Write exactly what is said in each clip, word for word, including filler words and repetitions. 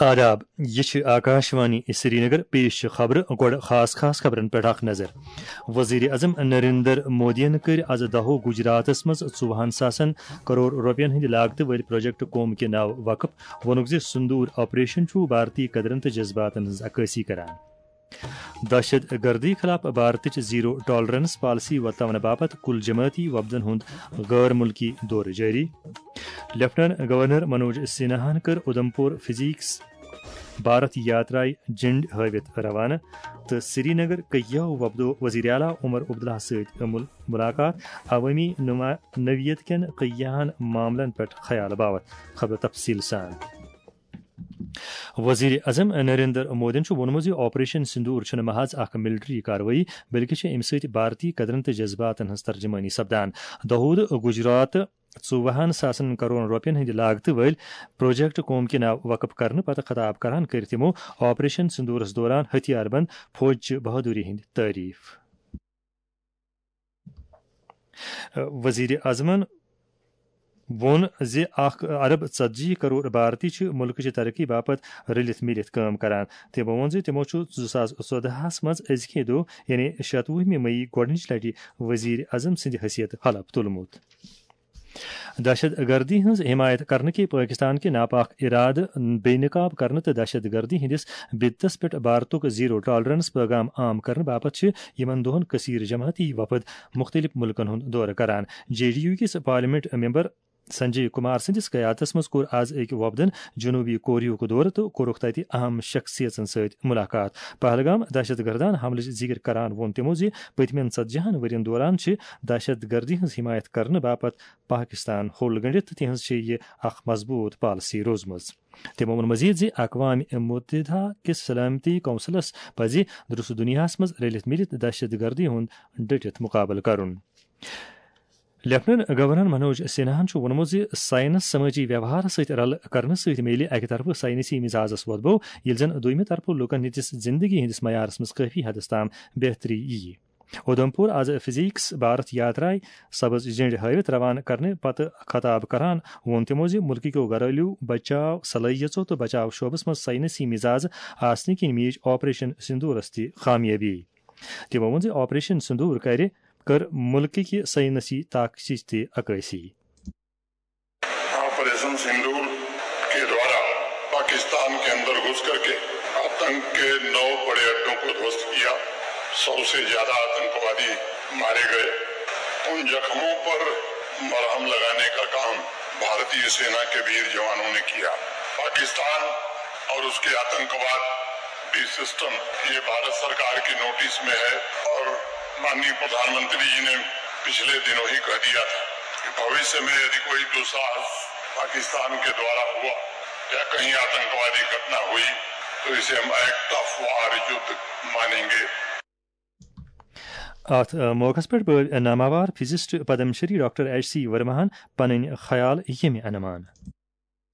آداب، یہِ چھِ آکاشوانی سرینگر۔ پیش چھِ خبرٕ۔ گۄڈٕ خاص خاص خبرن پٮ۪ٹھ اکھ نظر۔ وزیر اعظم نریندر مودیَن کٔرۍ از دَہو گجراتس منٛز ژوٚوُہن ساسن کرور رۄپین ہٕنٛدِ لاگتہٕ وٲلۍ پروجیکٹ قوم کے ناو وقف۔ ووٚنُکھ زِ سندور آپریشن چھُ بھارتی قدرن تہٕ جذباتن ہٕنٛز عکٲسی کران۔ دہشت گردی خلاف بھارتٕچ زیرو ٹالرنس پالیسی ورتاونہٕ باپتھ کل جمٲعتی وفدن ہُنٛد غٲر ملکی دورٕ جٲری۔ لیفٹیننٹ گورنر منوج سنہاہن کٔر اودھمپور فزیکس بھارت یاترایہِ جھنڈ ہٲوِتھ روانہٕ تہٕ سرینگر کیو وفدو وزیر اعلیٰ عمر عبداللہ سۭتۍ مل-، ملاقات۔ عوٲمی نما-، نوعیت کٮ۪ن کیاہن معاملن پٮ۪ٹھ خیال باوتھ۔ خبر تفصیل سان۔ وزیر اعظم نریندر مودیَن چھُ ووٚنمُت زِ آپریشن سندور چھُنہٕ محض اکھ ملٹری کاروٲیی، بلکہِ چھِ اَمہِ سۭتۍ بھارتی قدرن تہٕ جذباتن ہٕنٛز ترجمٲنی سپدان۔ دہود گجرات ژوٚوُہن ساسن کرور رۄپین ہٕنٛدِ لاگتہٕ وٲلۍ پروجیکٹ قوم کے ناو وقف کرنہٕ پتہٕ خطاب کران کٔرۍ تِمو آپریشن سندورس دوران ہتھیار بند فوجچہِ بہادری ہٕنٛدۍ تعریف۔ وزیر اعظمن ووٚن زِ اکھ ارب ژتجی کرور بھارتی چھِ مُلکٕچہِ ترقی باپتھ رٔلِتھ مِلِتھ کٲم کران۔ تِمو ووٚن زِ تِمو چھُ زٕ ساس ژۄدہَس منٛز أزکہِ دۄہ، یعنی شَتوُہمہِ مئی، گۄڈٕنِچ لٹہِ وزیر اعظم سٕنٛدِ حیثیت حلف تُلمُت۔ دہشت گردی ہٕنٛز حمایت کرنہٕ کہِ پٲکستان کہِ ناپاک ارادٕ بے نقاب کرنہٕ تہٕ دہشت گردی ہٕنٛدِس بدتس پٮ۪ٹھ بھارتُک زیرو ٹالرنس پیغام عام کرنہٕ باپتھ چھِ یِمن دۄہن کثیر جماعتی وفد مُختٔلِف مُلکن ہُنٛد دورٕ کران۔ جے ڈی یو کِس پارلیمنٹ ممبر سنجے کمار سٕنٛدِس قیادتس منٛز کوٚر از أکۍ وفدن جنوبی کوریاہُک دورٕ تہٕ کوٚرُکھ تتہِ اہم شخصیژن سۭتۍ ملاقات۔ پہلگام دہشت گردانہ حملٕچ ذکر کران ووٚن تِمو زِ پٔتمٮ۪ن ژتجی ہن ؤرین دوران چھِ دہشت گردی ہٕنٛز حمایت کرنہٕ باپتھ پاکستان ہوٚل گٔنڈِتھ تہٕ تِہنٛز چھِ یہِ اکھ مضبوٗط پالیسی روٗزمٕژ۔ تِمو ووٚن مزید زِ اقوام متحدہ کِس سلامتی کونسلس پزِ درست دنیاہس منٛز رٔلِتھ مِلِتھ دہشت گردی ہُنٛد ڈٔٹِتھ مُقابلہٕ کرُن۔ لیفٹیننٹ گورنر منوج سنہاہن چھُ ووٚنمُت زِ ساینس سمٲجی ویوہارس سۭتۍ رلہٕ کرنہٕ سۭتۍ میلہِ اکہِ طرفہٕ ساینسی مزاجس وۄدبو، ییٚلہِ زن دوٚیمہِ طرفہٕ لوٗکن ہٕنٛدِس زندگی ہٕنٛدِس معیارس منٛز کٲفی حدس تام بہتری یِیہِ۔ اودھمپور از فزیکس بھارت یاترایہِ سبز جھنڈ ہٲوِتھ روانہٕ کرنہٕ پتہٕ خطاب کران ووٚن تِمو زِ مُلکہٕ کیو گھریلو بچاو صلٲحیژو تہٕ بچاو شعبس منٛز ساینسی مزاج آسنہٕ کِنۍ میج آپریشن سندورس تہِ کامیٲبی۔ تِمو ووٚن زِ آپریشن سندور کرِ، کٔر مُلکہٕ کہِ ساینسی طاقتٕچ تہِ عکٲسی۔ آپریشن سندور کے دوارا پاکستان کے اندر گھس کر کے آتنک کے نو بڑے اڈوں کو دھوست کیا۔ سو سے زیادہ آتنکوادی مارے گئے۔ ان زخموں پر مرہم لگانے کا کام بھارتیہ سینا کے ویر جوانوں نے کیا۔ پاکستان اور اس کے آتنکواد بھی سسٹم، یہ بھارت سرکار کے نوٹس میں ہے اور माननीय प्रधानमंत्री जी ने पिछले दिनों ही कह दिया था कि भविष्य में यदि कोई दुस्साहस पाकिस्तान के द्वारा हुआ या कहीं आतंकवादी घटना हुई तो इसे हम एक्ट ऑफ वार युद्ध मानेंगे। اتھ موقعس پٮ۪ٹھ بٲوۍ ناماوار physicist Padma Shri doctor H C ورماہن پنٕنۍ خیال ییٚمہِ عنوان۔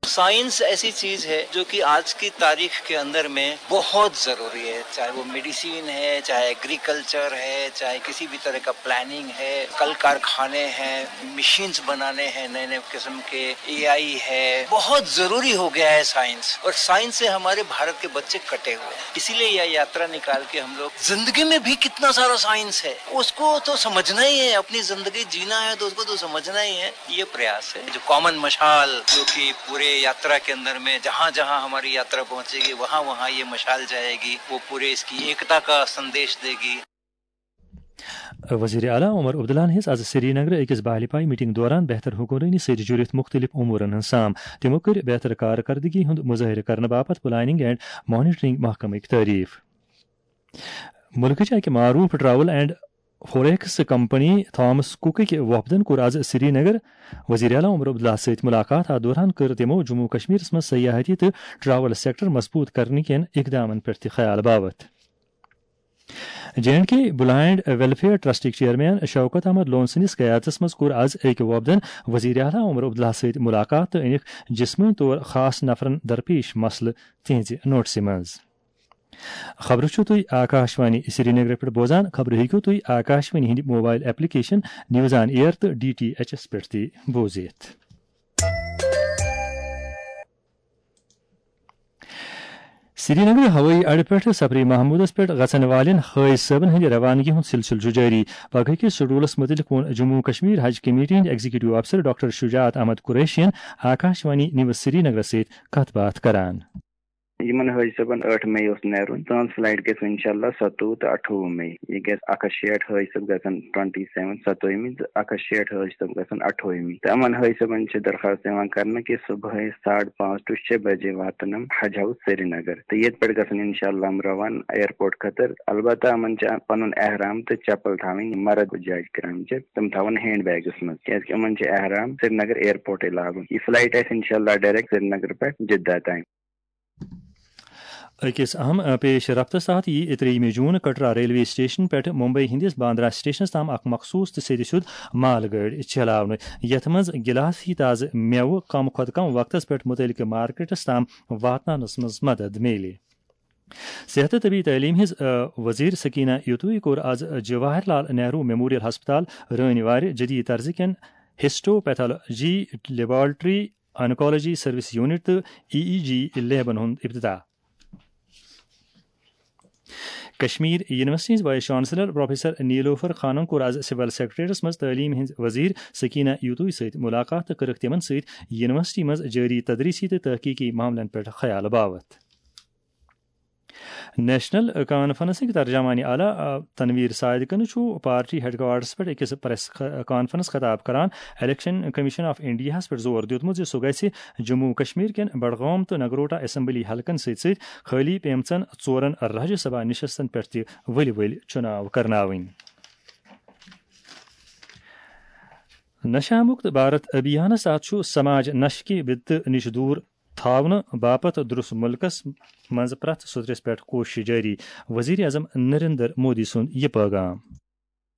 साइंस ऐसी चीज है जो कि आज की तारीख के अंदर में बहुत जरूरी है, चाहे वो मेडिसिन है, चाहे एग्रीकल्चर है, चाहे किसी भी तरह का प्लानिंग है, कल कारखाने हैं, मशीन्स बनाने हैं नए नए किस्म के, एआई है। बहुत जरूरी हो गया है साइंस। और साइंस से हमारे भारत के बच्चे कटे हुए हैं, इसीलिए यह यात्रा निकाल के हम लोग जिंदगी में भी कितना सारा साइंस है उसको तो समझना ही है। अपनी जिंदगी जीना है तो उसको तो समझना ही है। ये प्रयास है जो कॉमन मशाल जो कि पूरे यात्रा के अंदर में जहाँ जहाँ हमारी यात्रा पहुँचेगी वहाँ वहाँ ये मशाल जाएगी, वो पूरे इसकी एकता का संदेश देगी। وزیر اعلیٰ عمر عبداللہ ہن ہیٚژ از سرینگرٕ أکِس باہلہِ پایہِ میٹنگ دوران بہتر حکمرٲنی سۭتۍ جُڑِتھ مُختٔلِف امورن ہٕنٛز سام۔ تِمو کٔر بہتر کارکردگی ہُنٛد مظٲہرٕ کرنہٕ باپتھ پلاننگ اینڈ مانیٹرنگ محکمٕکۍ تعریف۔ مُلکٕچ اکہِ معروف travel and forex company Thomas کُکٕکۍ وفدن کوٚر از سرینگر وزیر اعلیٰ عمر عبداللہ سۭتۍ ملاقات۔ اتھ دوران کٔر تِمو جموں و کشمیرس منٛز سیاحتی تہٕ ٹریول سیکٹر مضبوط کرنہٕ کٮ۪ن اقدامن پٮ۪ٹھ تہِ خیال باوتھ۔ J and K blind welfare ٹرسٹٕکۍ چیئرمین شوکت احمد لون سٕنٛدِس قیادتس منٛز کوٚر از أکۍ وفدن وزیر اعلیٰ عمر عبداللہ سۭتۍ ملاقات تہٕ أنِکھ جسمٲنی طور خاص نفرن درپیش مسلہٕ تِہنٛزِ نوٹسہِ منٛز۔ خبرٕ چھِو تُہۍ آکاشوانی سرینگرٕ پٮ۪ٹھ بوزان۔ خبرٕ ہیٚکِو تُہۍ آکاشوانی ہٕنٛدِ mobile application news on air تہٕ ڈی ٹی ایچ ایس پٮ۪ٹھ تہِ بوٗزِتھ۔ سرینگر ہوٲیی اڈٕ پٮ۪ٹھ سفری محمودس پٮ۪ٹھ گژھن والٮ۪ن حٲج صٲبن ہٕنٛدِ روانگی ہُنٛد سلسلہٕ چھُ جٲری۔ پگہٕکِس شیڈولس مُتعلق ووٚن جموں کشمیر حج کمیٹی ہٕنٛدۍ ایگزیکٹو افسر ڈاکٹر شجاعت احمد قریشین آکاشوانی نیوز سرینگرس سۭتۍ کتھ باتھ کران۔ یِمن حٲج صٲبن ٲٹھ مئی اوس نیرُن، تہنٛز فلائٹ گژھِ انشاءاللہ ستووُہ تہٕ اَٹھووُہ مئی۔ یہِ گژھِ اکھ ہتھ شیٹھ حٲج صٲب گژھن ٹُوَنٹی سیون ستووُہمہِ تہٕ اکھ ہتھ شیٹھ حٲج صٲب گژھن اَٹھووُہمہِ۔ تہٕ یِمن حٲج صٲبن چھِ درخواست یِوان کرنہٕ کہِ صبحٲے ساڑٕ پانٛژھ to شےٚ بجے واتن یِم حج ہاؤس سرینگر، تہٕ ییٚتہِ پٮ۪ٹھ گژھن انشاءاللہ یِم روانہٕ ایئرپورٹ خٲطرٕ۔ البتہ یِمن چھِ پنُن احرام تہٕ چپل تھاوٕنۍ مرد جاج کرام چھِ تِم تھاوان ہینڈ بیگس منٛز، کیازِ کہِ یِمن چھِ احرام سرینگر ایئرپورٹے لاگُن۔ یہِ فلائٹ آسہِ انشاءاللہ ڈائریکٹ سرینگر پٮ۪ٹھ جدہ تام۔ أکِس اہم، آ، پیش رفتس تحت یی ترٛیٚیِمہِ جوٗن کٹرا ریلوے سٹیشن پٮ۪ٹھ ممبئی ہٕنٛدِس باندرا سٹیشنس تام اکھ مخصوٗص تہٕ سیٚدِ سیوٚد مال گٲڑۍ چلاونہٕ، یتھ منٛز گلاسہٕ ہی تازٕ مٮ۪وٕ کم کھۄتہٕ کم وقتس پٮ۪ٹھ مُتعلقہٕ مارکیٹس تام واتناونس منٛز مدد میلہِ۔ صحت تہٕ طبی تعلیٖم ہٕنٛز، آ، وزیر سکینہ یتوی کوٚر از جواہر لال نہرو میموریل ہسپتال رٲنۍ وارِ جدید طرزٕ کٮ۪ن ہسٹوپیتھالوجی لیبارٹری، آنکولوجی سروس یونٹ تہٕ ای ای جی لیبن ہُنٛد افتتاح۔ کشمیر یونیورسٹی ہٕنٛز وائس چانسلر پروفیسر نیلوفر خانن کوٚر از سول سیکرٹریٹس منٛز تعلیٖم ہٕنٛز وزیر سکینہ یوتوی سۭتۍ ملاقات تہٕ کٔرٕکھ تِمن سۭتۍ یونیورسٹی منٛز جٲری تدریسی تہٕ تحقیقی معاملن پٮ۪ٹھ خیال باوتھ۔ نیشنل کانفرنسٕکۍ ترجمان اعلیٰ، آ، تنویر صادقن چھُ پارٹی ہیڈ کوارٹرس پٮ۪ٹھ أکِس پریس خ-، کانفرنس خطاب کران الیکشن کمیشن آف انڈیاہس پٮ۪ٹھ زور دیُتمُت زِ سُہ گژھِ جموں کشمیر کٮ۪ن بڈگام تہٕ نگروٹا اسمبلی حلقن سۭتۍ سۭتۍ خٲلی پیمژن ژورن راجیہ سبھا نشستن پٮ۪ٹھ تہِ ؤلۍ ؤلۍ چُناو کرناوٕنۍ۔ نشہ مکت بھارت ابھیانس تحت چھُ سماج نشہٕ کہِ بدتہٕ نِش دوٗر تھاونہٕ باپتھ درست ملکس منٛز پرٛٮ۪تھ سطرس پٮ۪ٹھ کوٗشش جٲری۔ وزیر اعظم نریندر مودی سُنٛد یہِ پیغام۔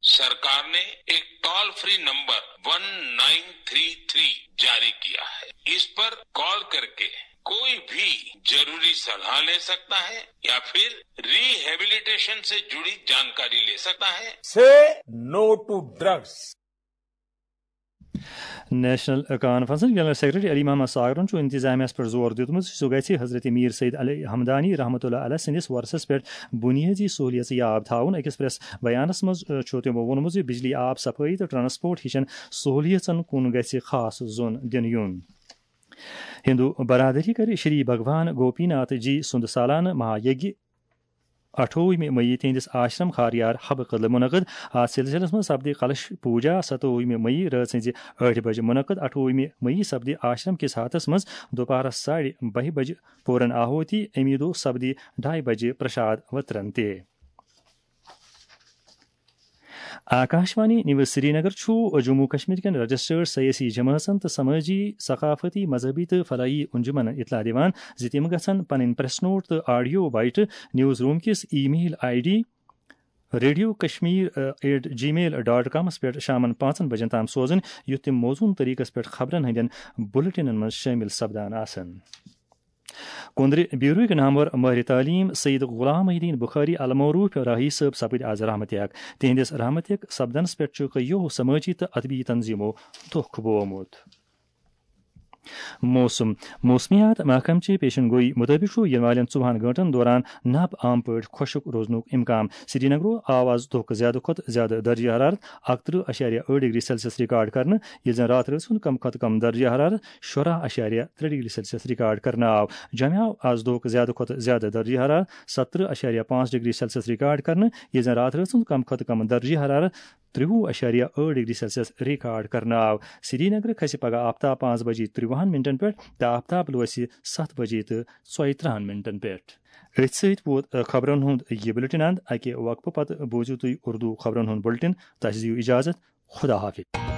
सरकार ने एक toll free number one nine three three जारी किया है। इस पर कॉल करके कोई भी जरूरी सलाह ले सकता है या फिर रिहेबिलिटेशन से जुड़ी जानकारी ले सकता है। Say no to drugs. National کانفرنسن جنرل سیکرٹری علی محمد ساگرن چھُ انتظامیہ پٮ۪ٹھ زور دیُتمُت زِ سُہ گژھِ حضرت میر سید علی ہمدانی رحمۃ اللہ علیہ سٕنٛدِس ورثس پٮ۪ٹھ بُنیٲدی سہولیژٕ یاب تھاوُن۔ أکِس پریس بیانس منٛز، آ، چھُ تِمو ووٚنمُت زِ بجلی، آب، صفٲیی تہٕ ٹرانسپورٹ ہِشن سہولیژن کُن گژھِ خاص زوٚن دِنہٕ یُن۔ ہندو برادری کرِ شری بھگوان گوپی ناتھ جی سُنٛد سالانہٕ مہا یگیہ اَٹھووُہمہِ مئی تہنٛدِس آشرم خاریار حبہٕ قدلہٕ منعقد۔ اَتھ سلسلس منٛز سپدِ کلش پوجا ستووُہمہِ مئی رٲژ ہٕنٛزِ ٲٹھِ بجہِ منعقد۔ اَٹھووُہمہِ مئی سپدِ آشرم کِس ہاتس منٛز دُپہرس ساڑِ بہہِ بجہِ پوٗرن آہوتی۔ اَمی دۄہ سپدِ ڈاے بجہِ پرشاد وترن تہِ۔ آکاشوانی نیوز سرینگر چھُ جموں کشمیر کٮ۪ن رجسٹرڈ سیٲسی جمٲژن تہٕ سمٲجی، ثقافتی، مذہبی تہٕ فلاحی انجمنن اطلاع دِوان زِ تِم گژھن پنٕنۍ پریس نوٹ تہٕ آڈیو بائٹ نیوز روم کِس email I D radio Kashmir at Gmail dot کامس پٮ۪ٹھ شامن پانٛژن بجن تام سوزٕنۍ، یُتھ تِم موزوٗن طریقس پٮ۪ٹھ خبرن ہٕنٛدٮ۪ن بُلٹنن منٛز شٲمِل سپدان آسن۔ کُندرِ بیوٗرٕکۍ نامور مٲہرِ تعلیٖم سید غلام محی الدین بخاری المعروف راہی صٲب سپٕدۍ آز رحمت یک۔ تِہنٛدِس رحمت یک سپدنس پٮ۪ٹھ چھُ کئیو سمٲجی تہٕ ادبی تنظیمو دۄکھ بوومُت۔ موسم۔ موسمیات محکمہٕ چہِ پیشن گوئی مُطٲبِق چھُ یِنہٕ والٮ۪ن ژوٚوُہن گٲنٛٹن دوران نب عام پٲٹھۍ خۄشک روزنُک امکان۔ سرینگرو آو آز دۄہُک زیادٕ کھۄتہٕ زیادٕ درجہ حرارت اکترٕہ اَشاریہ ٲٹھ ڈگری سیلسیس ریکارڈ کرنہٕ، ییٚلہِ زن راتھ رٲژ ہُنٛد کم کھۄتہٕ کم درجہ حرارت شُراہ اَشاریہ ترٛےٚ ڈگری سیلسیس ریکارڈ کرنہٕ آو۔ جوٚمہِ آو آز دۄہُک زیادٕ کھۄتہٕ زیادٕ درجہ حرارت ستترٕہ اَشاریہ پانٛژھ ڈگری سیلسیس ریکارڈ کرنہٕ، ییٚلہِ زن راتھ رٲژ ہُنٛد کم کھۄتہٕ کم درجہ حرارت ترٛوُہ اَشاریہ ٲٹھ ڈگری سیلسیس ریکارڈ کرنہٕ آو۔ سرینگرٕ کھسہِ پگہہ آفتاب پانٛژھ بجے ترٛوُہن منٹن پٮ۪ٹھ تہٕ آفتاب لوسہِ ستھ بجے تہٕ ژۄیہِ ترٕہن منٹن پٮ۪ٹھ۔ أتھۍ سۭتۍ ووت، آ، خبرن ہُنٛد یہِ بُلٹن اند۔ اکہِ وقفہٕ پتہٕ بوٗزِو تُہۍ اردو خبرن ہُنٛد بُلٹن۔ تۄہہِ دِیِو اجازت۔ خدا حافظ۔